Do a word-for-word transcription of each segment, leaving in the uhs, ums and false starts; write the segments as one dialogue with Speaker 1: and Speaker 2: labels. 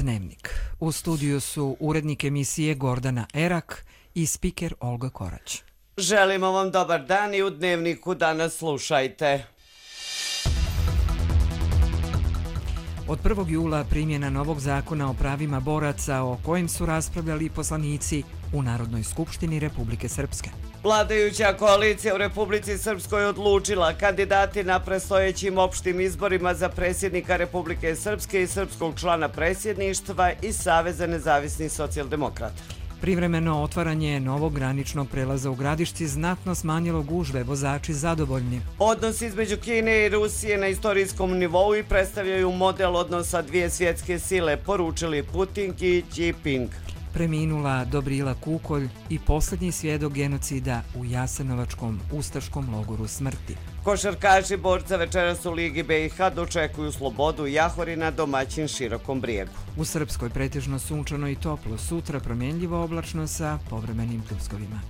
Speaker 1: Dnevnik. U studiju su urednik emisije Gordana Erak i spiker Olga Korać.
Speaker 2: Želimo vam dobar dan i u Dnevniku danas slušajte.
Speaker 1: Od prvog jula primjena novog zakona o pravima boraca o kojem su raspravljali poslanici u Narodnoj skupštini Republike Srpske.
Speaker 2: Vladajuća koalicija u Republici Srpskoj odlučila kandidati na predstojećim opštim izborima za predsjednika Republike Srpske i srpskog člana predsjedništva i Saveza nezavisnih socijaldemokrata.
Speaker 1: Privremeno otvaranje novog graničnog prelaza u Gradišci znatno smanjilo gužve, vozači zadovoljni.
Speaker 2: Odnos između Kine i Rusije na istorijskom nivou i predstavljaju model odnosa dvije svjetske sile, poručili Putin i Jinping.
Speaker 1: Preminula Dobrila Kukolj i posljednji svjedok genocida u Jasenovačkom ustaškom logoru smrti.
Speaker 2: Košarkaši borca večeras u Ligi B i H dočekuju Slobodu Jahorina, domaćin Širokom Brijegu.
Speaker 1: U Srpskoj pretežno sunčano i toplo, sutra promjenljivo oblačno sa povremenim pljuskovima.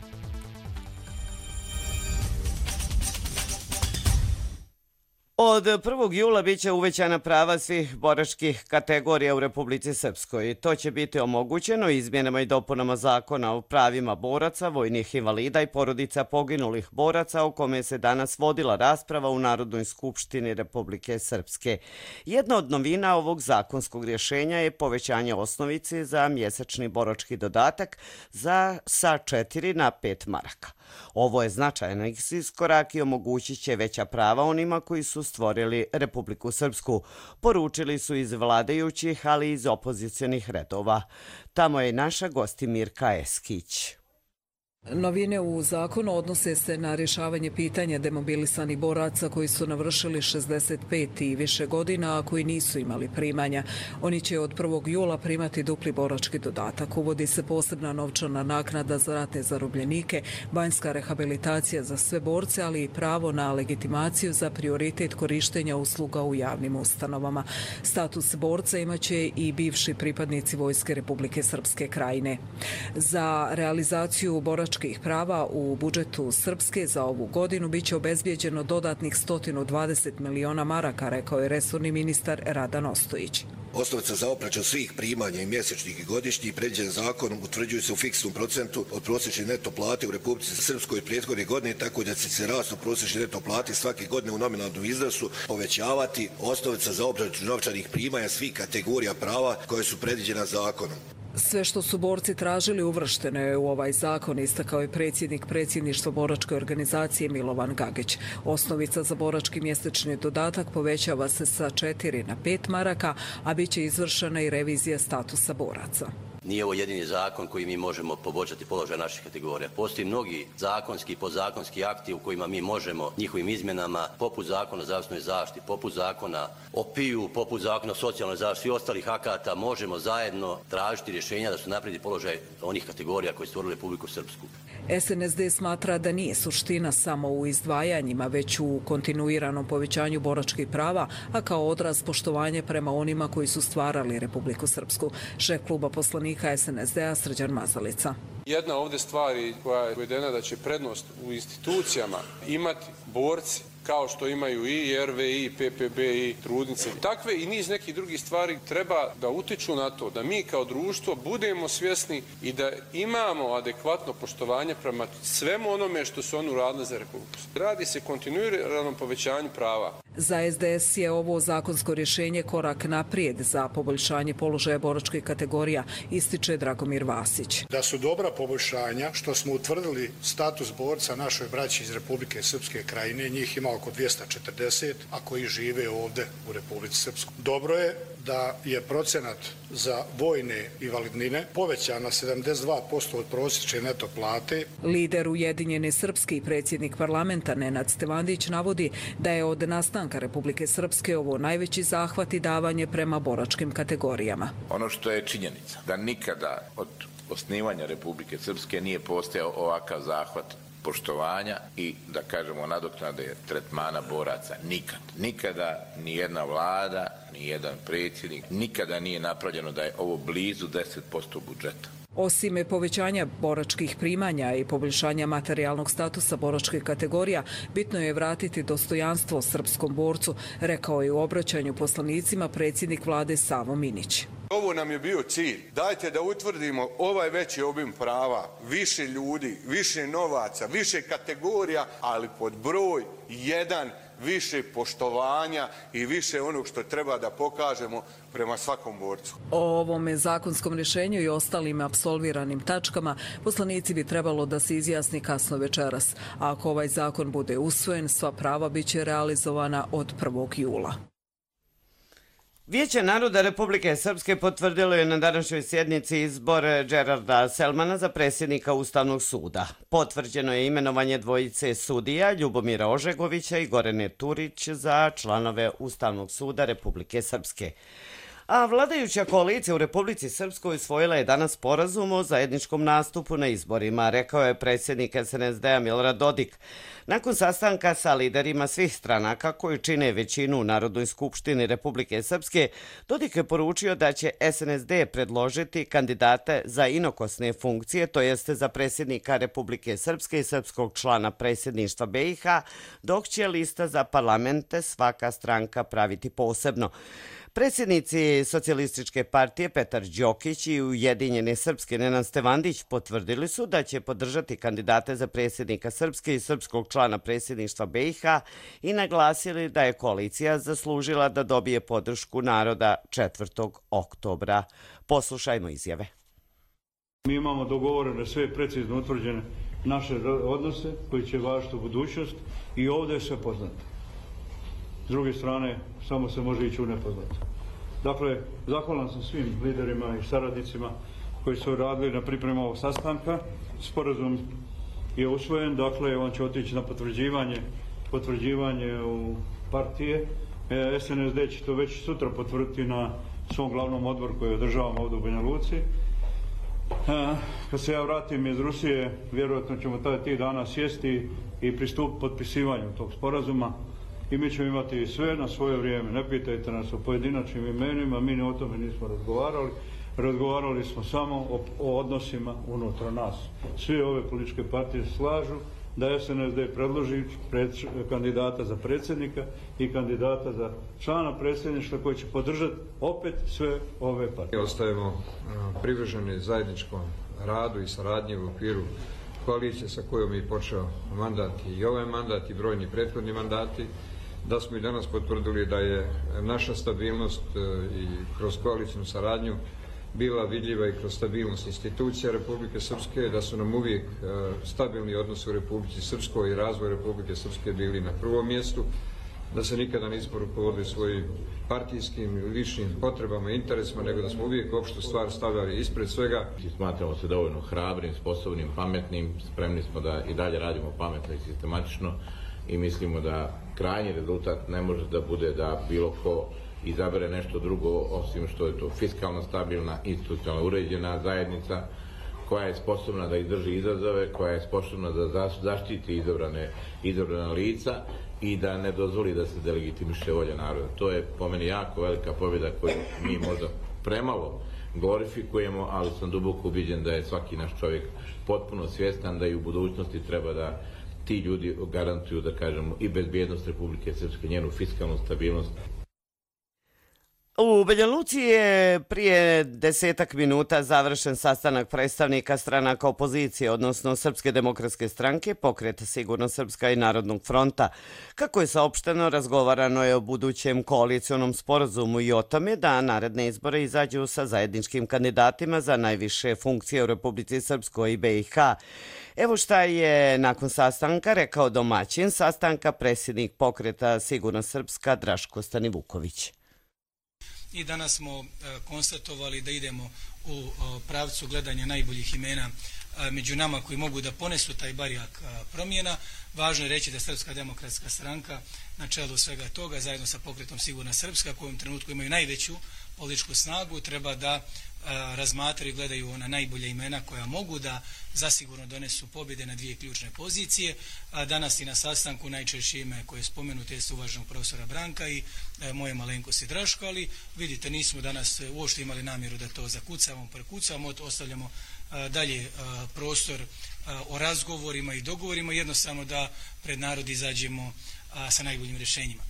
Speaker 2: Od prvog jula biće uvećana prava svih boračkih kategorija u Republici Srpskoj. To će biti omogućeno izmjenama i dopunama zakona o pravima boraca, vojnih invalida i porodica poginulih boraca o kome se danas vodila rasprava u Narodnoj skupštini Republike Srpske. Jedna od novina ovog zakonskog rješenja je povećanje osnovice za mjesečni borački dodatak za sa četiri na pet maraka. Ovo je značajan iskorak i omogućit će veća prava onima koji su stvorili Republiku Srpsku, poručili su iz vladajućih, ali i iz opozicionih redova. Tamo je naša Gostimirka Eskić.
Speaker 3: Novine u zakonu odnose se na rješavanje pitanja demobilisanih boraca koji su navršili šezdeset pet i više godina, a koji nisu imali primanja. Oni će od prvog jula primati dupli borački dodatak. Uvodi se posebna novčana naknada za ratne zarobljenike, banjska rehabilitacija za sve borce, ali i pravo na legitimaciju za prioritet korištenja usluga u javnim ustanovama. Status borca imaće i bivši pripadnici Vojske Republike Srpske Krajine. Za realizaciju boračkih prava u budžetu Srpske za ovu godinu biće obezbijeđeno dodatnih sto dvadeset miliona maraka, rekao je resorni ministar Radan Ostojić.
Speaker 4: Osnovica za obračun svih primanja i mjesečnih i godišnjih predviđen zakonom utvrđuju se u fiksnom procentu od prosječne neto plate u Republici Srpskoj prethodne godine, tako da će se rast u prosječne neto plate svake godine u nominalnom iznosu povećavati osnovica za obračun novčanih primanja svih kategorija prava koje su predviđena zakonom.
Speaker 3: Sve što su borci tražili uvršteno je u ovaj zakon, istakao je predsjednik predsjedništva boračke organizacije Milovan Gagić. Osnovica za borački mjesečni dodatak povećava se sa četiri na pet maraka, a bit će izvršena i revizija statusa boraca.
Speaker 5: Nije ovo jedini zakon koji mi možemo poboljšati položaj naših kategorija. Postoji mnogi zakonski i podzakonski akti u kojima mi možemo njihovim izmjenama, poput zakona o zdravstvenoj zaštiti, poput zakona o P I U, poput zakona o socijalnoj zaštiti i ostalih akata, možemo zajedno tražiti rješenja da su naprijedi položaj onih kategorija koje stvorili Republiku Srpsku.
Speaker 3: S N S D smatra da nije suština samo u izdvajanjima, već u kontinuiranom povećanju boračkih prava, a kao odraz poštovanja prema onima koji su stvarali Republiku Srpsku. Šef kluba poslanika S N S D-a Srđan Mazalica.
Speaker 6: Jedna ovdje stvari koja je uvedena da će prednost u institucijama imati borci, kao što imaju i R V I, P P B i trudnice. Takve i niz nekih drugih stvari treba da utiču na to da mi kao društvo budemo svjesni i da imamo adekvatno poštovanje prema svemu onome što su oni uradili za Republiku. Radi se kontinuiranom povećanju prava.
Speaker 3: Za S D S je ovo zakonsko rješenje korak naprijed za poboljšanje položaja boračkih kategorija, ističe Dragomir Vasić.
Speaker 7: Da su dobra poboljšanja što smo utvrdili status borca našoj braći iz Republike Srpske Krajine, njih ima oko dvjesto četrdeset, a koji žive ovdje u Republici Srpskoj. Dobro je da je procenat za vojne invalidnine povećan na sedamdeset dva posto od prosječne neto plate.
Speaker 3: Lider Ujedinjene Srpske i predsjednik parlamenta Nenad Stevandić navodi da je od nastanka Republike Srpske ovo najveći zahvat i davanje prema boračkim kategorijama.
Speaker 8: Ono što je činjenica da nikada od osnivanja Republike Srpske nije postojao ovakav zahvat poštovanja i, da kažemo, nadoknade tretmana boraca. Nikad. Nikada ni jedna vlada, ni jedan predsjednik, nikada nije napravljeno da je ovo blizu deset posto budžeta.
Speaker 3: Osim povećanja boračkih primanja i poboljšanja materijalnog statusa boračkih kategorija, bitno je vratiti dostojanstvo srpskom borcu, rekao je u obraćanju poslanicima predsjednik vlade Savo Minić.
Speaker 6: Ovo nam je bio cilj. Dajte da utvrdimo ovaj veći obim prava, više ljudi, više novaca, više kategorija, ali pod broj jedan više poštovanja i više onog što treba da pokažemo prema svakom borcu.
Speaker 3: O ovome zakonskom rješenju i ostalim apsolviranim tačkama poslanici bi trebalo da se izjasni kasno večeras. A ako ovaj zakon bude usvojen, sva prava biće realizovana od prvog jula.
Speaker 2: Vijeće naroda Republike Srpske potvrdilo je na današnjoj sjednici izbor Džerarda Selmana za predsjednika Ustavnog suda. Potvrđeno je imenovanje dvojice sudija Ljubomira Ožegovića i Gorane Turić za članove Ustavnog suda Republike Srpske. A vladajuća koalicija u Republici Srpskoj usvojila je danas sporazum o zajedničkom nastupu na izborima, rekao je predsjednik S N S D-a Milorad Dodik. Nakon sastanka sa liderima svih stranaka koji čine većinu u Narodnoj skupštini Republike Srpske, Dodik je poručio da će S N S D predložiti kandidate za inokosne funkcije, to jeste za predsjednika Republike Srpske i srpskog člana predsjedništva B i H, dok će lista za parlamente svaka stranka praviti posebno. Predsjednici Socijalističke partije Petar Đokić i Ujedinjene Srpske Nenad Stevandić potvrdili su da će podržati kandidate za predsjednika Srpske i srpskog člana predsjedništva B i H i naglasili da je koalicija zaslužila da dobije podršku naroda četvrtog oktobra. Poslušajmo izjave.
Speaker 9: Mi imamo dogovorene sve precizno utvrđene naše odnose koji će važiti u budućnost i ovdje je sve poznato. S druge strane, samo se može ići u nepoznato. Dakle, zahvalan sam svim liderima i saradnicima koji su radili na pripremu ovog sastanka. Sporazum je usvojen, dakle, on će otići na potvrđivanje, potvrđivanje u partije. E, S N S D će to već sutra potvrditi na svom glavnom odboru koji održavamo ovdje u Banja Luci. E, kad se ja vratim iz Rusije, vjerojatno ćemo taj tih dana sjesti i pristupiti potpisivanju tog sporazuma. I mi ćemo imati sve na svoje vrijeme. Ne pitajte nas o pojedinačnim imenima, mi o tome nismo razgovarali. Razgovarali smo samo o, o odnosima unutar nas. Sve ove političke partije slažu da S N S D predloži pred, kandidata za predsjednika i kandidata za člana predsjedništva koji će podržati opet sve ove partije.
Speaker 10: Ostajemo privrženi zajedničkom radu i saradnji u okviru koalicije sa kojom je počeo mandat i ovaj mandat i brojni prethodni mandati, da smo i danas potvrdili da je naša stabilnost i kroz koalicijnu saradnju bila vidljiva i kroz stabilnost institucija Republike Srpske, da su nam uvijek stabilni odnosi u Republici Srpskoj i razvoj Republike Srpske bili na prvom mjestu, da se nikada nismo rukovodili svojim partijskim i ličnim potrebama i interesima, nego da smo uvijek opštu stvar stavljali ispred svega.
Speaker 5: Smatramo se dovoljno hrabrim, sposobnim, pametnim, spremni smo da i dalje radimo pametno i sistematično i mislimo da krajnji rezultat ne može da bude da bilo ko izabere nešto drugo, osim što je to fiskalno stabilna, institucionalno uređena zajednica koja je sposobna da izdrži izazove, koja je sposobna da zaštiti izabrane, izabrana lica i da ne dozvoli da se delegitimiše volja naroda. To je po meni jako velika pobjeda koju mi možda premalo glorifikujemo, ali sam duboko ubiđen da je svaki naš čovjek potpuno svjestan da i u budućnosti treba da ti ljudi garantuju, da kažemo, i bezbjednost Republike Srpske, njenu fiskalnu stabilnost.
Speaker 2: U Banja Luci je prije desetak minuta završen sastanak predstavnika stranaka opozicije, odnosno Srpske demokratske stranke, Pokreta Sigurno Srpska i Narodnog fronta. Kako je saopšteno, razgovarano je o budućem koalicionom sporazumu i o tome da naredne izbore izađu sa zajedničkim kandidatima za najviše funkcije u Republici Srpskoj i B i H. Evo šta je nakon sastanka rekao domaćin sastanka, predsjednik Pokreta Sigurno Srpska Draško Stanivuković.
Speaker 11: I danas smo konstatovali da idemo u pravcu gledanja najboljih imena među nama koji mogu da ponesu taj barijak promjena. Važno je reći da Srpska demokratska stranka na čelu svega toga, zajedno sa Pokretom Sigurna Srpska, koji u trenutku imaju najveću političku snagu, treba da razmatraju i gledaju ona najbolja imena koja mogu da zasigurno donesu pobjede na dvije ključne pozicije. Danas i na sastanku najčešće ime koje je spomenuto je uvaženog profesora Branka i moje malenkosti Draško, ali vidite, nismo danas uopšte imali namjeru da to zakucamo, prekucamo, ostavljamo dalje prostor o razgovorima i dogovorima, jednostavno da pred narod izađemo sa najboljim rješenjima.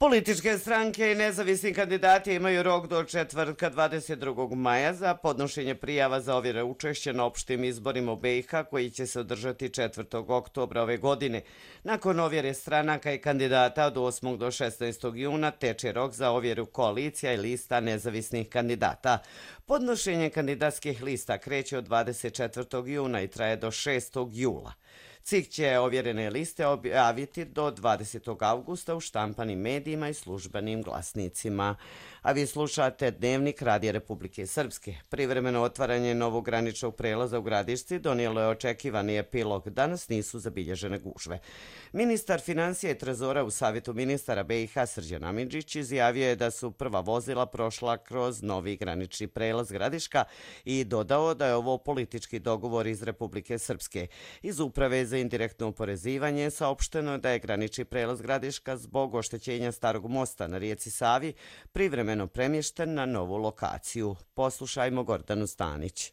Speaker 2: Političke stranke i nezavisni kandidati imaju rok do četvrtka dvadeset drugog maja za podnošenje prijava za ovjere učešća na opštim izborima u B i H koji će se održati četvrtog oktobra ove godine. Nakon ovjere stranaka i kandidata od osmog do šesnaestog juna teče rok za ovjeru koalicija i lista nezavisnih kandidata. Podnošenje kandidatskih lista kreće od dvadeset četvrtog juna i traje do šestog jula. C I K će ovjerene liste objaviti do dvadesetog avgusta u štampanim medijima i službenim glasnicima. A vi slušate Dnevnik Radija Republike Srpske. Privremeno otvaranje novog graničnog prelaza u Gradišci donijelo je očekivani epilog. Danas nisu zabilježene gužve. Ministar financija i trezora u Savjetu ministara B i H Srđan Amidžić izjavio je da su prva vozila prošla kroz novi granični prelaz Gradiška i dodao da je ovo politički dogovor iz Republike Srpske. Iz Uprave za indirektno oporezivanje saopšteno da je granični prelaz Gradiška zbog oštećenja starog mosta na rijeci Savi privremeno premješten na novu lokaciju. Poslušajmo Gordanu Stanić.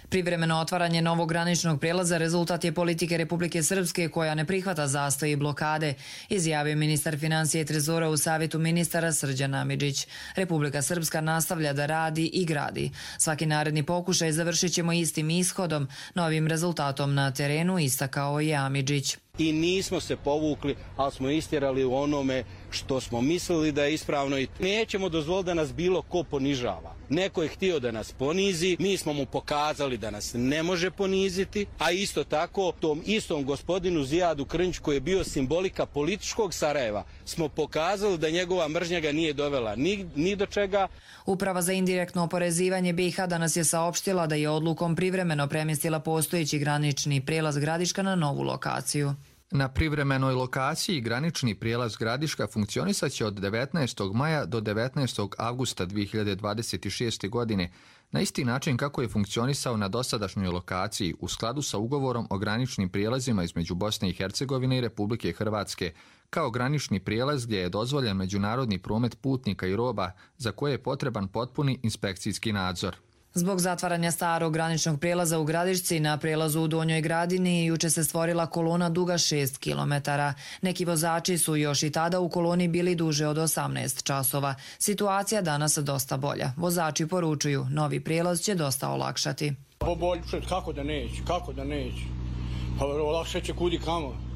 Speaker 12: Privremeno otvaranje novog graničnog prijelaza rezultat je politike Republike Srpske koja ne prihvata zastoj i blokade, izjavio ministar financija i trezora u Savjetu ministara Srđan Amidžić. Republika Srpska nastavlja da radi i gradi. Svaki naredni pokušaj završit ćemo istim ishodom, novim rezultatom na terenu, istakao je Amidžić.
Speaker 13: I nismo se povukli, ali smo istjerali u onome što smo mislili da je ispravno i nećemo dozvoliti da nas bilo ko ponižava. Neko je htio da nas ponizi, mi smo mu pokazali da nas ne može poniziti, a isto tako tom istom gospodinu Zijadu Krnjiću koji je bio simbolika političkog Sarajeva smo pokazali da njegova mržnja ga nije dovela ni, ni do čega.
Speaker 12: Uprava za indirektno oporezivanje B i H danas je saopštila da je odlukom privremeno premjestila postojeći granični prijelaz Gradiška na novu lokaciju.
Speaker 14: Na privremenoj lokaciji granični prijelaz Gradiška funkcionisat će od devetnaestog maja do devetnaestog avgusta dvije hiljade dvadeset šeste. godine, na isti način kako je funkcionisao na dosadašnjoj lokaciji u skladu sa ugovorom o graničnim prijelazima između Bosne i Hercegovine i Republike Hrvatske, kao granični prijelaz gdje je dozvoljen međunarodni promet putnika i roba za koje je potreban potpuni inspekcijski nadzor.
Speaker 12: Zbog zatvaranja starog graničnog prijelaza u Gradišci na prijelazu u Donjoj Gradini juče se stvorila kolona duga šest kilometara. Neki vozači su još i tada u koloni bili duže od osamnaest časova. Situacija danas dosta bolja. Vozači poručuju, novi prijelaz će dosta olakšati.
Speaker 15: Kako da neće, kako da neće. Pa olakšat će kudi kamo.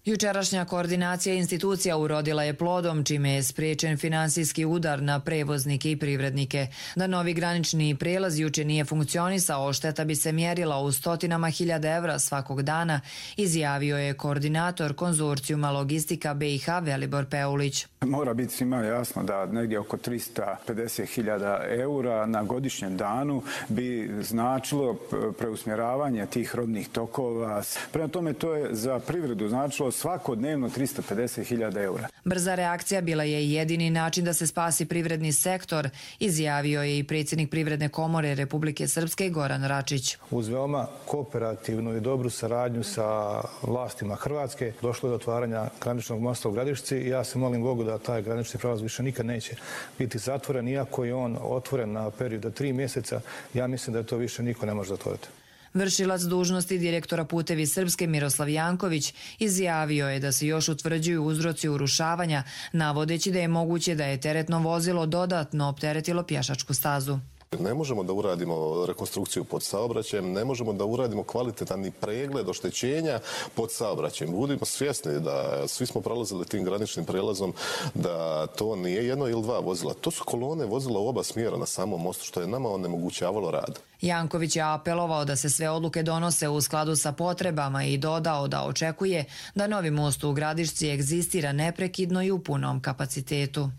Speaker 12: Jučerašnja koordinacija institucija urodila je plodom, čime je spriječen finansijski udar na prevoznike i privrednike. Da novi granični prijelaz juče nije funkcionisao, šteta bi se mjerila u stotinama hiljada evra svakog dana, izjavio je koordinator konzorcijuma Logistika B i H Velibor Peulić.
Speaker 16: Mora biti svima jasno da negdje oko trista pedeset hiljada eura na godišnjem danu bi značilo preusmjeravanje tih robnih tokova. Prema tome to je za privredu značilo svakodnevno trista pedeset hiljada eura.
Speaker 12: Brza reakcija bila je jedini način da se spasi privredni sektor, izjavio je i predsjednik Privredne komore Republike Srpske Goran Račić.
Speaker 17: Uz veoma kooperativnu i dobru saradnju sa vlastima Hrvatske došlo je do otvaranja graničnog mosta u Gradišci i ja se molim Bogu da taj granični prelaz više nikad neće biti zatvoren, iako je on otvoren na period od tri mjeseca, ja mislim da to više niko ne može zatvoriti.
Speaker 12: Vršilac dužnosti direktora Putevi Srpske Miroslav Janković izjavio je da se još utvrđuju uzroci urušavanja, navodeći da je moguće da je teretno vozilo dodatno opteretilo pješačku stazu.
Speaker 18: Ne možemo da uradimo rekonstrukciju pod saobraćajem, ne možemo da uradimo kvalitetan pregled oštećenja pod saobraćajem. Budimo svjesni da svi smo prolazili tim graničnim prelazom, da to nije jedno ili dva vozila. To su kolone vozila u oba smjera na samom mostu, što je nama onemogućavalo rad.
Speaker 12: Janković je apelovao da se sve odluke donose u skladu sa potrebama i dodao da očekuje da novi most u Gradišci egzistira neprekidno i u punom kapacitetu.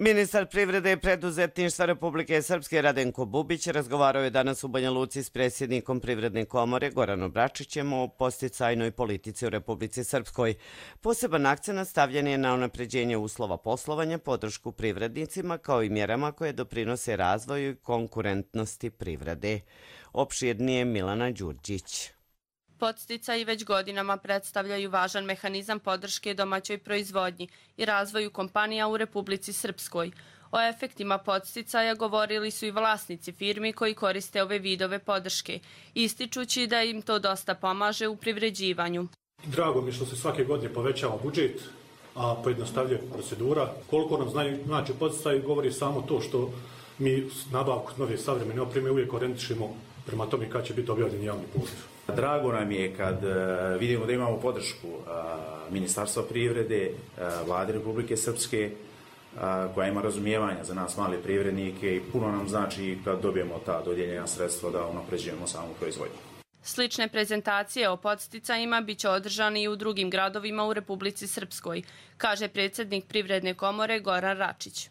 Speaker 2: Ministar privrede i preduzetništva Republike Srpske Radenko Bubić razgovarao je danas u Banja Luci s predsjednikom Privredne komore Goranom Bračićem o posticajnoj politici u Republici Srpskoj. Poseban akcenat stavljen je na unapređenje uslova poslovanja, podršku privrednicima kao i mjerama koje doprinose razvoju i konkurentnosti privrede. Opširnije Milana Đurđić.
Speaker 19: Podsticaji već godinama predstavljaju važan mehanizam podrške domaćoj proizvodnji i razvoju kompanija u Republici Srpskoj. O efektima podsticaja govorili su i vlasnici firmi koji koriste ove vidove podrške, ističući da im to dosta pomaže u privređivanju.
Speaker 20: Drago mi što se svake godine povećava budžet, a pojednostavljuje procedura. Koliko nam znaju, znači podsticaj govori samo to što mi nabavku nove savremene opreme uvijek orijentišemo prema tome kad će biti objavljen javni poziv.
Speaker 21: Drago nam je kad vidimo da imamo podršku Ministarstva privrede, Vlade Republike Srpske, koja ima razumijevanja za nas male privrednike i puno nam znači kad dobijemo ta dodijeljena sredstva da unapređujemo samu proizvodnju.
Speaker 19: Slične prezentacije o podsticajima biće održane i u drugim gradovima u Republici Srpskoj, kaže predsjednik Privredne komore Goran Račić.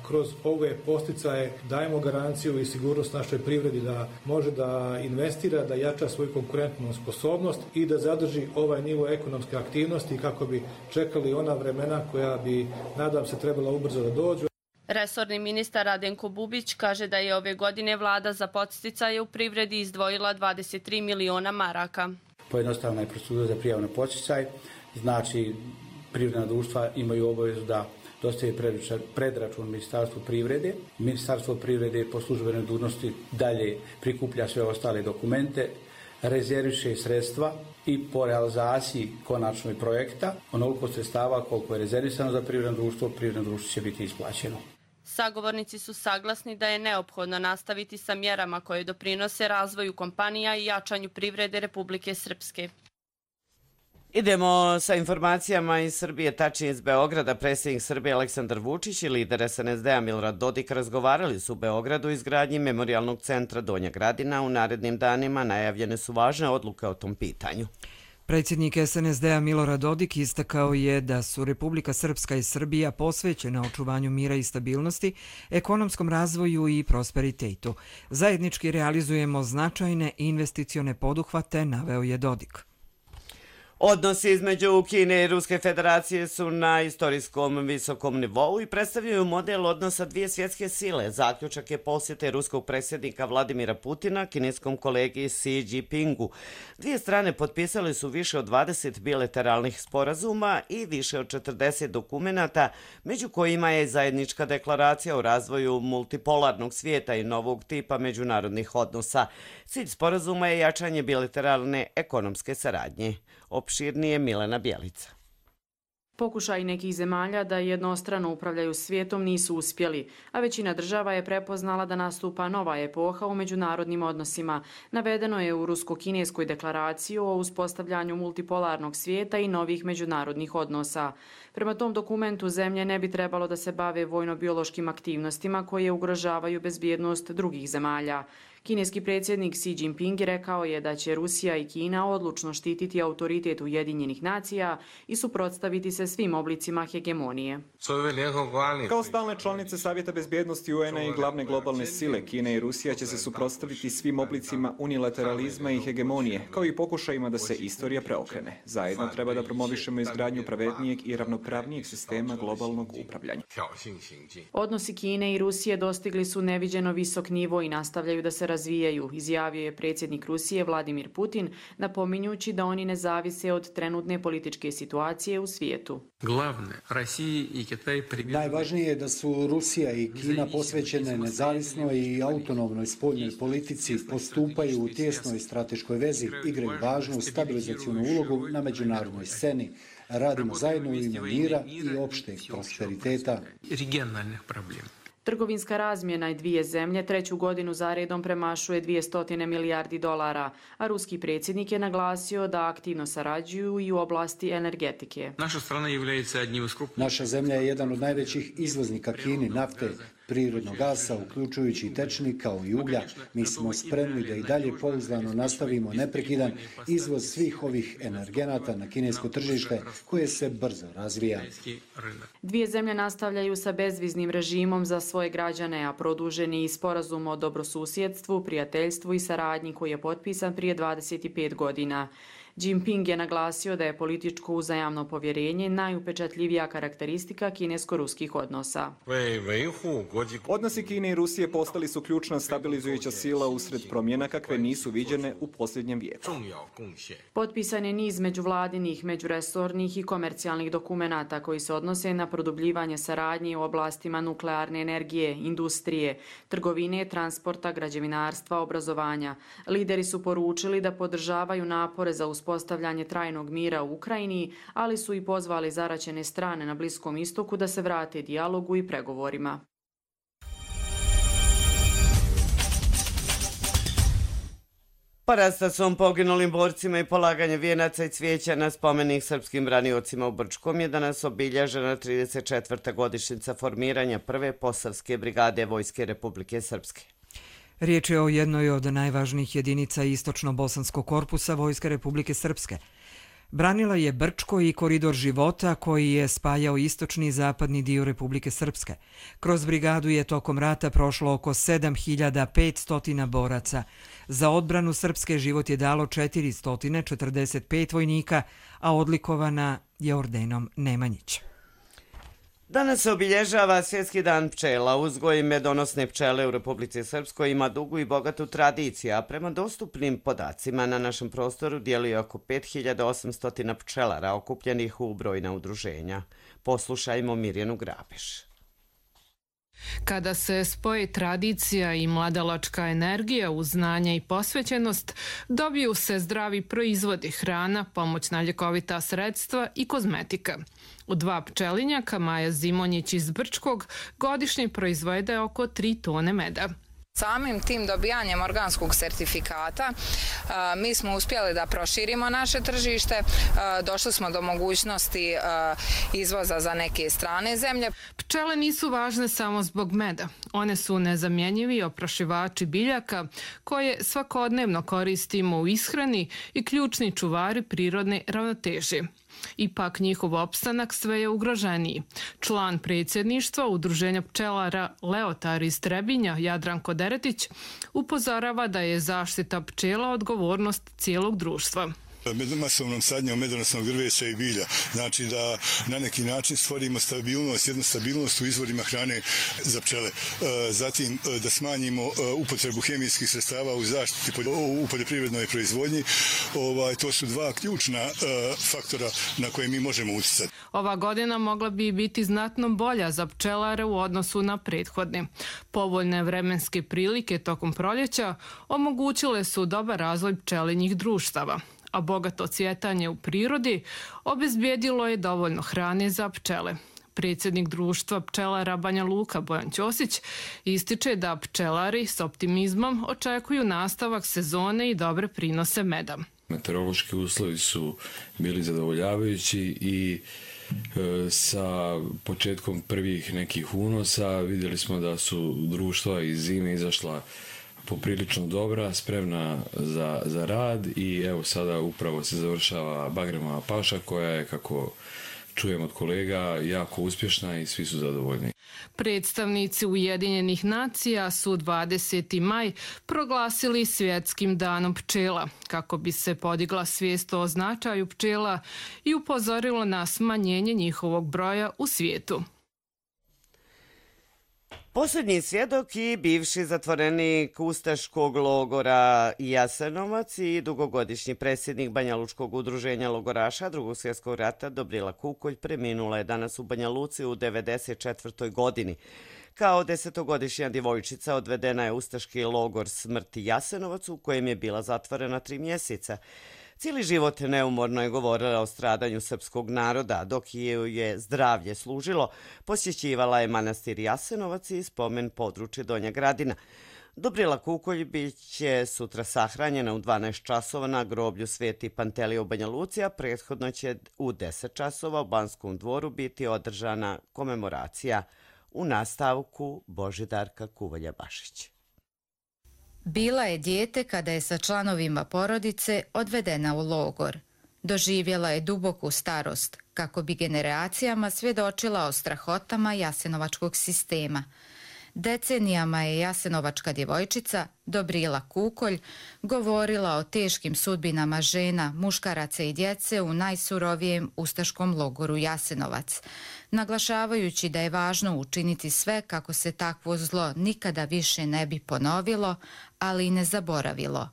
Speaker 17: Kroz ove posticaje dajemo garanciju i sigurnost našoj privredi da može da investira, da jača svoju konkurentnu sposobnost i da zadrži ovaj nivo ekonomske aktivnosti kako bi čekali ona vremena koja bi, nadam se, trebala ubrzo da dođu.
Speaker 19: Resorni ministar Radenko Bubić kaže da je ove godine vlada za podsticaje u privredi izdvojila dvadeset tri miliona maraka.
Speaker 22: Pojednostavna je procedura za prijavu na podsticaj, znači privredna društva imaju obavezu da dostaje predračun Ministarstvu privrede. Ministarstvo privrede po službenoj dužnosti dalje prikuplja sve ostale dokumente, rezerviše sredstva i po realizaciji konačnoj projekta onoliko sredstava koliko je rezervisano za privredno društvo, privredno društvo će biti isplaćeno.
Speaker 19: Sagovornici su saglasni da je neophodno nastaviti sa mjerama koje doprinose razvoju kompanija i jačanju privrede Republike Srpske.
Speaker 2: Idemo sa informacijama iz Srbije, tačnije iz Beograda. Predsjednik Srbije Aleksandar Vučić i lider es en es de a Milorad Dodik razgovarali su u Beogradu o izgradnji memorijalnog centra Donja Gradina. U narednim danima najavljene su važne odluke o tom pitanju.
Speaker 1: Predsjednik es en es de a Milorad Dodik istakao je da su Republika Srpska i Srbija posvećene očuvanju mira i stabilnosti, ekonomskom razvoju i prosperitetu. Zajednički realizujemo značajne investicione poduhvate, naveo je Dodik.
Speaker 2: Odnosi između Kine i Ruske federacije su na istorijskom visokom nivou i predstavljaju model odnosa dvije svjetske sile. Zaključak je posjete ruskog predsjednika Vladimira Putina kineskom kolegi Xi Jinpingu. Dvije strane potpisali su više od dvadeset bilateralnih sporazuma i više od četrdeset dokumenata, među kojima je zajednička deklaracija o razvoju multipolarnog svijeta i novog tipa međunarodnih odnosa. Cilj sporazuma je jačanje bilateralne ekonomske saradnje. Opširnije Milena Bjelica.
Speaker 23: Pokušaj nekih zemalja da jednostrano upravljaju svijetom nisu uspjeli, a većina država je prepoznala da nastupa nova epoha u međunarodnim odnosima. Navedeno je u rusko-kineskoj deklaraciji o uspostavljanju multipolarnog svijeta i novih međunarodnih odnosa. Prema tom dokumentu zemlje ne bi trebalo da se bave vojno-biološkim aktivnostima koje ugrožavaju bezbjednost drugih zemalja. Kineski predsjednik Xi Jinping rekao je da će Rusija i Kina odlučno štititi autoritet Ujedinjenih nacija i suprotstaviti se svim oblicima hegemonije.
Speaker 24: Kao stalne članice Savjeta bezbjednosti U N-a i glavne globalne sile, Kina i Rusija će se suprotstaviti svim oblicima unilateralizma i hegemonije, kao i pokušajima da se istorija preokrene. Zajedno treba da promovišemo izgradnju pravednijeg i ravnopravnijeg sistema globalnog upravljanja.
Speaker 23: Odnosi Kine i Rusije dostigli su neviđeno visok nivo i nastavljaju da se razvijaju, izjavio je predsjednik Rusije Vladimir Putin, napominjući da oni ne zavise od trenutne političke situacije u svijetu.
Speaker 25: Najvažnije je da su Rusija i Kina posvećene nezavisnoj i autonomnoj spoljnoj politici, postupaju u tjesnoj strateškoj vezi, igraju važnu stabilizacijnu ulogu na međunarodnoj sceni. Radimo zajedno u ime mira i opšteg prosperiteta.
Speaker 23: Trgovinska razmjena i dvije zemlje treću godinu zaredom premašuje dvjesto milijardi dolara, a ruski predsjednik je naglasio da aktivno sarađuju i u oblasti energetike.
Speaker 25: Naša zemlja je jedan od najvećih izvoznika Kini nafte, prirodnog gasa, uključujući i tečni kao i uglja. Mi smo spremni da i dalje pouzdano nastavimo neprekidan izvoz svih ovih energenata na kinesko tržište koje se brzo razvija.
Speaker 23: Dvije zemlje nastavljaju sa bezviznim režimom za svoje građane, a produženi i sporazum o dobrosusjedstvu, prijateljstvu i saradnji koji je potpisan prije dvadeset pet godina. Jinping je naglasio da je političko uzajamno povjerenje najupečatljivija karakteristika kinesko-ruskih odnosa.
Speaker 24: Odnosi Kine i Rusije postali su ključna stabilizujuća sila usred promjena kakve nisu viđene u posljednjem vijeku.
Speaker 23: Potpisan je niz međuvladinih, međuresornih i komercijalnih dokumenata koji se odnose na produbljivanje saradnje u oblastima nuklearne energije, industrije, trgovine, transporta, građevinarstva, obrazovanja. Lideri su poručili da podržavaju napore za uspostavljanje uspostavljanje trajnog mira u Ukrajini, ali su i pozvali zaraćene strane na Bliskom istoku da se vrate dijalogu i pregovorima.
Speaker 2: Parastacom poginulim borcima i polaganje vijenaca i cvijeća na spomenik srpskim braniocima u Brčkom je danas obilježena trideset četvrta godišnjica formiranja prve Posavske brigade Vojske Republike Srpske.
Speaker 1: Riječ je o jednoj od najvažnijih jedinica istočno-bosanskog korpusa Vojske Republike Srpske. Branila je Brčko i koridor života koji je spajao istočni i zapadni dio Republike Srpske. Kroz brigadu je tokom rata prošlo oko sedam hiljada petsto boraca. Za odbranu Srpske život je dalo četiristo četrdeset pet vojnika, a odlikovana je ordenom Nemanjića.
Speaker 2: Danas se obilježava Svjetski dan pčela. Uzgoj medonosne pčele u Republici Srpskoj ima dugu i bogatu tradiciju, a prema dostupnim podacima na našem prostoru djeluje oko pet hiljada osamsto pčelara okupljenih u brojna udruženja. Poslušajmo Mirjanu Grabeš.
Speaker 3: Kada se spoji tradicija i mladalačka energija uz znanje i posvećenost, dobiju se zdravi proizvodi, hrana, pomoćna ljekovita sredstva i kozmetika. U dva pčelinjaka Maja Zimonjić iz Brčkog godišnje proizvede oko tri tone meda.
Speaker 4: Samim tim dobijanjem organskog sertifikata mi smo uspjeli da proširimo naše tržište, došli smo do mogućnosti izvoza za neke strane zemlje.
Speaker 3: Pčele nisu važne samo zbog meda. One su nezamjenjivi oprašivači biljaka koje svakodnevno koristimo u ishrani i ključni čuvari prirodne ravnoteže. Ipak njihov opstanak sve je ugroženiji. Član predsjedništva Udruženja pčelara Leotar iz Trebinja, Jadranko Deretić, upozorava da je zaštita pčela odgovornost cijelog društva.
Speaker 6: Masovnom sadnjom medonosnog drveća i bilja. Znači da na neki način stvorimo stabilnost, jednu stabilnost u izvorima hrane za pčele. Zatim da smanjimo upotrebu hemijskih sredstava u zaštiti u poljoprivrednoj proizvodnji. To su dva ključna faktora na koje mi možemo utjecati.
Speaker 3: Ova godina mogla bi biti znatno bolja za pčelare u odnosu na prethodne. Povoljne vremenske prilike tokom proljeća omogućile su dobar razvoj pčelinjih društava, a bogato cvjetanje u prirodi obezbijedilo je dovoljno hrane za pčele. Predsjednik društva pčelara Banja Luka Bojan Ćosić ističe da pčelari s optimizmom očekuju nastavak sezone i dobre prinose meda.
Speaker 7: Meteorološki uslovi su bili zadovoljavajući i e, sa početkom prvih nekih unosa vidjeli smo da su društva iz zime izašla poprilično dobra, spremna za, za rad i evo sada upravo se završava bagremova paša koja je, kako čujem od kolega, jako uspješna i svi su zadovoljni.
Speaker 3: Predstavnici Ujedinjenih nacija su dvadeseti maj proglasili Svjetskim danom pčela kako bi se podigla svijest o značaju pčela i upozorilo na smanjenje njihovog broja u svijetu.
Speaker 2: Posljednji svjedok i bivši zatvorenik ustaškog logora Jasenovac i dugogodišnji predsjednik Banja Lučkog udruženja logoraša Drugog svjetskog rata Dobrila Kukolj preminula je danas u Banja Luci u devedeset četvrtoj godini. Kao desetogodišnja djevojčica odvedena je ustaški logor smrti Jasenovac u kojem je bila zatvorena tri mjeseca. Cijeli život neumorno je govorila o stradanju srpskog naroda, dok je je zdravlje služilo, posjećivala je manastir Jasenovac i spomen područje Donja Gradina. Dobrila Kukolj bit će sutra sahranjena u dvanaest časova na groblju Sveti Pantelije u Banja Luci, a prethodno će u deset časova u Banskom dvoru biti održana komemoracija. U nastavku Božidarka Kuvalja-Bašić.
Speaker 8: Bila je dijete kada je sa članovima porodice odvedena u logor. Doživjela je duboku starost kako bi generacijama svjedočila o strahotama jasenovačkog sistema. Decenijama je jasenovačka djevojčica Dobrila Kukolj govorila o teškim sudbinama žena, muškaraca i djece u najsurovijem ustaškom logoru Jasenovac, naglašavajući da je važno učiniti sve kako se takvo zlo nikada više ne bi ponovilo, ali i ne zaboravilo.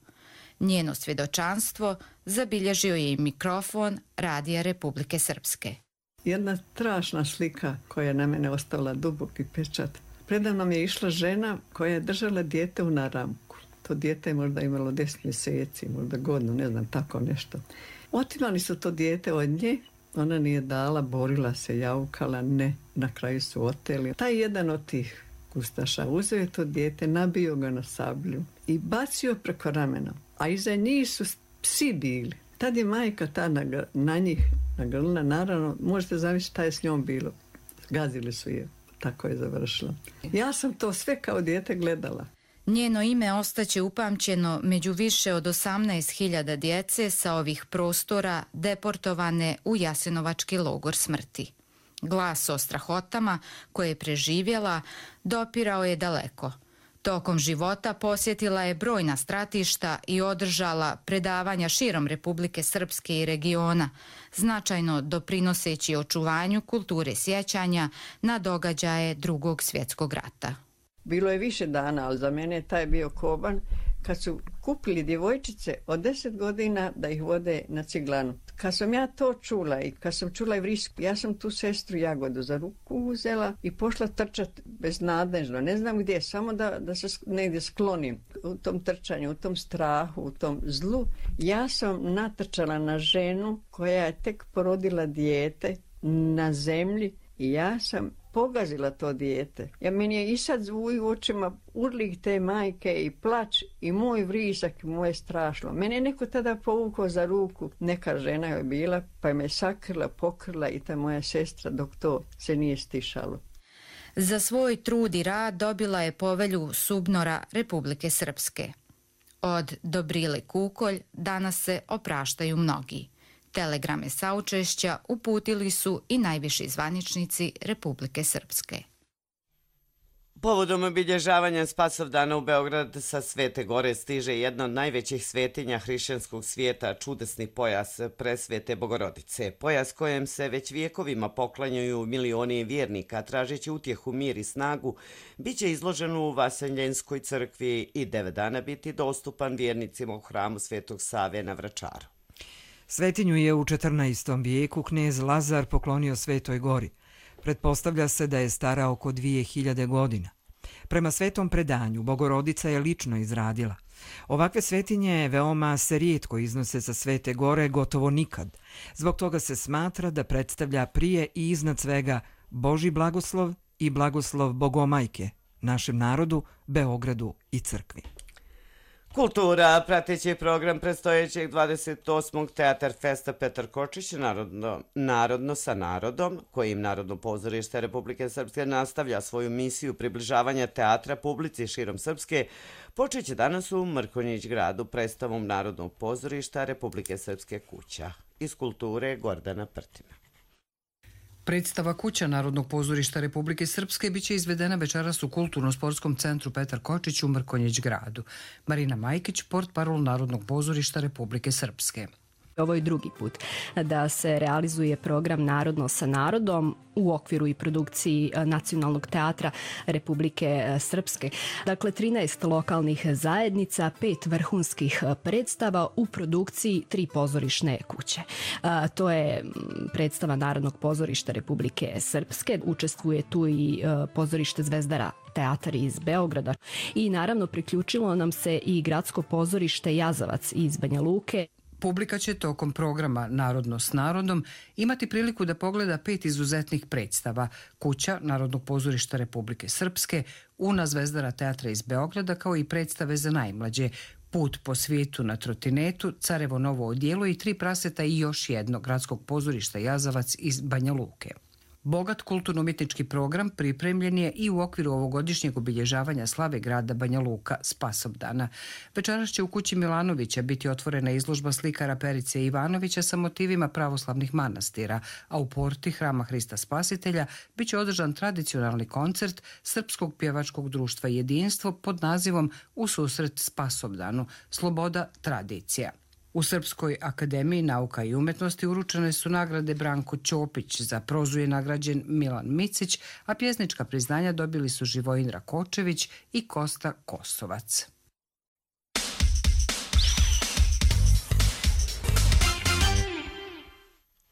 Speaker 8: Njeno svjedočanstvo zabilježio je i mikrofon Radija Republike Srpske.
Speaker 26: Jedna strašna slika koja je na mene ostavila duboki pečat. Predavnom je išla žena koja je držala dijete u naramku. To dijete je možda imalo deset mjeseci, možda godinu, ne znam, tako nešto. Otimali su to dijete od nje, ona nije dala, borila se, jaukala, ne, na kraju su oteli. Taj jedan od tih ustaša uzeo je to dijete, nabio ga na sablju i bacio preko ramena, a iza njih su psi bili. Tad je majka ta na, na njih nagrlila, naravno, možete zamisliti šta je s njom bilo. Gazili su je, tako je završila. Ja sam to sve kao dijete gledala.
Speaker 8: Njeno ime ostaće upamćeno među više od osamnaest hiljada djece sa ovih prostora deportovane u Jasenovački logor smrti. Glas o strahotama koje je preživjela dopirao je daleko. Tokom života posjetila je brojna stratišta i održala predavanja širom Republike Srpske i regiona, značajno doprinoseći očuvanju kulture sjećanja na događaje Drugog svjetskog rata.
Speaker 26: Bilo je više dana, ali za mene je taj bio koban kad su kupili djevojčice od deset godina da ih vode na ciglanu. Kad sam ja to čula i kad sam čula i vrisku, ja sam tu sestru Jagodu za ruku uzela i pošla trčati beznadežno. Ne znam gdje, samo da, da se negdje sklonim u tom trčanju, u tom strahu, u tom zlu. Ja sam natrčala na ženu koja je tek porodila dijete na zemlji i ja sam pogazila to dijete. Ja, meni je i sad zvuj u očima urlik te majke i plač i moj vrisak, moje strašno. Mene je neko tada povukao za ruku, neka žena je bila, pa je me sakrila, pokrila i ta moja sestra dok to se nije stišalo.
Speaker 8: Za svoj trud i rad dobila je povelju SUBNOR-a Republike Srpske. Od Dobrile Kukolj danas se opraštaju mnogi. Telegrame saučešća uputili su i najviši zvaničnici Republike Srpske.
Speaker 2: Povodom obilježavanja Spasovdana u Beograd sa Svete Gore stiže jedna od najvećih svetinja hrišćanskog svijeta, čudesni pojas Presvete Bogorodice. Pojas kojem se već vijekovima poklanjaju milioni vjernika, tražeći utjehu, mir i snagu, bit će izložen u Vaseljenskoj crkvi i devet dana biti dostupan vjernicima u hramu Svetog Save na Vračaru.
Speaker 1: Svetinju je u četrnaestom vijeku knez Lazar poklonio Svetoj Gori. Pretpostavlja se da je stara oko dvije hiljade godina. Prema svetom predanju, Bogorodica je lično izradila. Ovakve svetinje veoma se rijetko iznose sa Svete Gore, gotovo nikad. Zbog toga se smatra da predstavlja prije i iznad svega Božji blagoslov i blagoslov Bogomajke, našem narodu, Beogradu i crkvi.
Speaker 2: Kultura, prateći program predstojećeg dvadeset osmog Teatar Festa Petar Kočić, narodno, narodno sa narodom, kojim Narodno pozorište Republike Srpske nastavlja svoju misiju približavanja teatra publici širom Srpske, počeće danas u Mrkonjić gradu predstavom Narodnog pozorišta Republike Srpske Kuća. Iz kulture Gordana Prtina.
Speaker 5: Predstava Kuća Narodnog pozorišta Republike Srpske biće izvedena večeras u Kulturno-sportskom centru Petar Kočić u Mrkonjić gradu. Marina Majkić, portparol Narodnog pozorišta Republike Srpske.
Speaker 9: Ovo je drugi put da se realizuje program Narodno sa narodom u okviru i produkciji Nacionalnog teatra Republike Srpske. Dakle, trinaest lokalnih zajednica, pet vrhunskih predstava u produkciji tri pozorišne kuće. To je predstava Narodnog pozorišta Republike Srpske. Učestvuje tu i pozorište Zvezdara teatar iz Beograda. I naravno priključilo nam se i gradsko pozorište Jazavac iz Banja Luke.
Speaker 5: Publika će tokom programa Narodno s narodom imati priliku da pogleda pet izuzetnih predstava: Kuća Narodnog pozorišta Republike Srpske, Una Zvezdara teatra iz Beograda, kao i predstave za najmlađe: Put po svijetu na trotinetu, Carevo novo odijelo i Tri praseta i još jedno gradskog pozorišta Jazavac iz Banja Luke. Bogat kulturno-umjetnički program pripremljen je i u okviru ovogodišnjeg obilježavanja slave grada Banja Luka Spasovdana. Večeras će u kući Milanovića biti otvorena izložba slikara Perice Ivanovića sa motivima pravoslavnih manastira, a u porti Hrama Hrista Spasitelja bit će održan tradicionalni koncert Srpskog pjevačkog društva Jedinstvo pod nazivom U susret Spasovdanu – Sloboda, tradicija. U Srpskoj akademiji nauka i umetnosti uručene su nagrade Branko Ćopić, za prozu je nagrađen Milan Micić, a pjesnička priznanja dobili su Živojin Rakočević i Kosta Kosovac.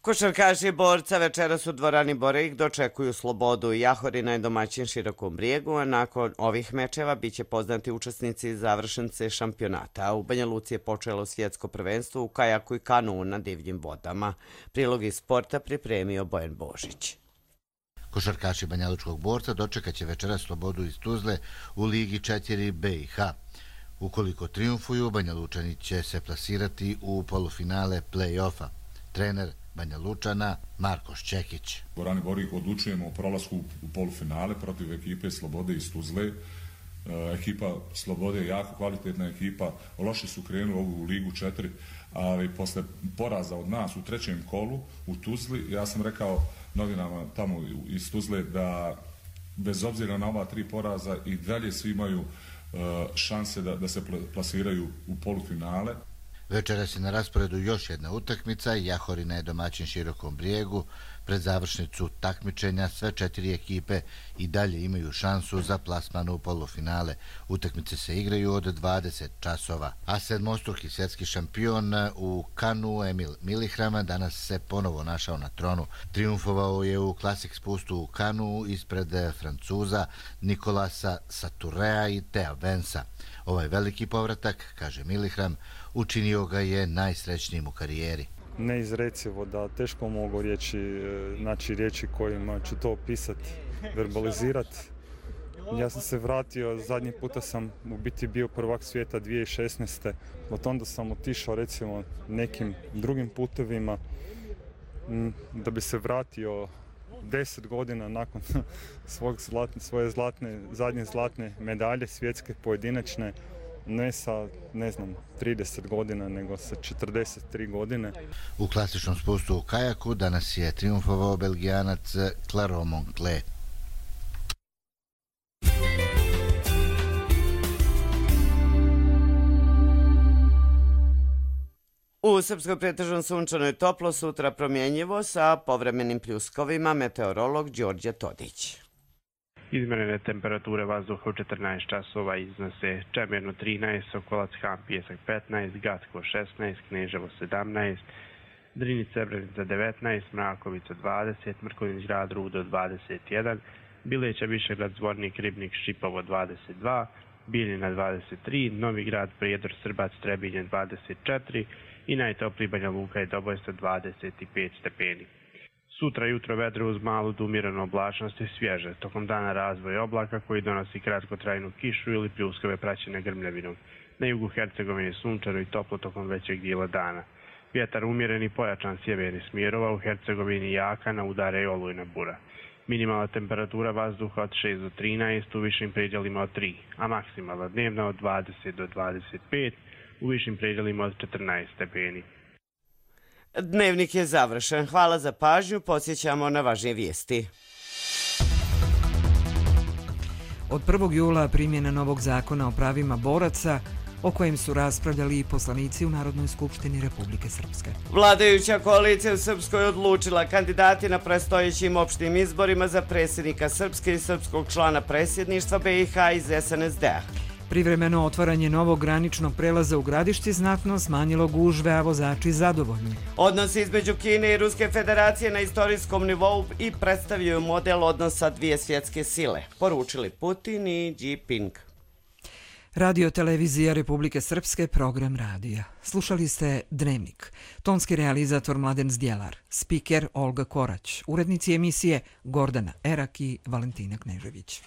Speaker 2: Košarkaši Borca večeras u dvorani Boreik dočekuju Slobodu. Jahorina je domaćin Širokom Brijegu, a nakon ovih mečeva biće poznati učesnici i završnice šampionata. U Banja Luci je počelo svjetsko prvenstvo u kajaku i kanuu na divljim vodama. Prilog iz sporta pripremio Bojan Božić.
Speaker 10: Košarkaši Banjalučkog Borca dočekat će večeras Slobodu iz Tuzle u Ligi četiri B i H. Ukoliko triumfuju, Banjalučani će se plasirati u polufinale play-offa. Trener Banja Lučana Marko Šćekić.
Speaker 11: U dvorani Boreik odlučujemo o prolasku u polufinale protiv ekipe Slobode iz Tuzle. E, ekipa Slobode je jako kvalitetna ekipa, loše su krenuli ovu Ligu četiri, ali posle poraza od nas u trećem kolu u Tuzli, ja sam rekao novinama tamo iz Tuzle da bez obzira na ova tri poraza i dalje svi imaju e, šanse da, da se plasiraju u polufinale.
Speaker 10: Večeras je na rasporedu još jedna utakmica. Jahorina je domaćin Širokom Brijegu. Pred završnicu takmičenja sve četiri ekipe i dalje imaju šansu za plasman u polufinale. Utakmice se igraju od dvadeset časova. A sedmostruki svjetski šampion u kanu Emil Milihrama danas se ponovo našao na tronu. Triumfovao je u klasik spustu u kanu ispred Francuza Nikolasa Saturea i Thea Vensa. Ovaj veliki povratak, kaže Milihram, učinio ga je najsrećnijim u karijeri.
Speaker 13: Neizrecivo, da teško mogu riječi, znači riječi kojima ću to opisati, verbalizirati. Ja sam se vratio, zadnji puta sam u biti bio prvak svijeta dvije tisuće šesnaeste. Od onda sam otišao recimo nekim drugim putevima da bi se vratio deset godina nakon svog zlatne, svoje zlatne, zadnje zlatne medalje svjetske pojedinačne. Ne sa, ne znam, trideset godina, nego sa četrdeset tri godine.
Speaker 10: U klasičnom spustu u kajaku danas je triumfovao Belgijanac Claro Moncler.
Speaker 2: U Srpskoj pretežno sunčano i toplo, sutra promjenjivo sa povremenim pljuskovima, meteorolog Đorđe Todić.
Speaker 14: Izmjerene temperature vazduha u četrnaest časova iznose Čemerno trinaest, Sokolac Han Pijesak petnaest, Gatko šesnaest, Kneževo sedamnaest, Drinić Srebrenica devetnaest, Mrakovica dvadeset, Mrkonjić Grad Rudo dvadeset jedan, Bileća Višegrad Zvornik Ribnik Šipovo dvadeset dva, Bijeljina dvadeset tri, Novi Grad Prijedor Srbac Trebinje dvadeset četiri i najtopliji Banja Luka i Dobojstvo dvadeset pet stepeni. Sutra jutro vedro uz malu do umjerenu oblačnost i svježe. Tokom dana razvoj oblaka koji donosi kratkotrajnu kišu ili pljuskove praćene grmljavinom. Na jugu Hercegovine sunčano i toplo tokom većeg dijela dana. Vjetar umjeren i pojačan sjevernih smjerova, u Hercegovini jaka, na udare i olujna bura. Minimalna temperatura vazduha od šest do trinaest, u višim predjelima od tri, a maksimalna dnevna od dvadeset do dvadeset pet, u višim predjelima od četrnaest stepeni.
Speaker 2: Dnevnik je završen. Hvala za pažnju. Podsjećamo na važnije vijesti.
Speaker 1: Od prvog jula primjena novog zakona o pravima boraca, o kojem su raspravljali i poslanici u Narodnoj skupštini Republike Srpske.
Speaker 2: Vladajuća koalicija u Srpskoj odlučila kandidati na predstojećim opštim izborima za predsjednika Srpske i srpskog člana predsjedništva B i H iz S N S D-a.
Speaker 1: Privremeno otvaranje novog graničnog prelaza u Gradišci znatno smanjilo gužve, a vozači zadovoljni.
Speaker 2: Odnosi između Kine i Ruske federacije na istorijskom nivou i predstavljaju model odnosa dvije svjetske sile, poručili Putin i Xi Jinping.
Speaker 1: Radio televizija Republike Srpske, program radija. Slušali ste Dnevnik. Tonski realizator Mladen Zdjelar, spiker Olga Korać, urednici emisije Gordana Erak i Valentina Knežević.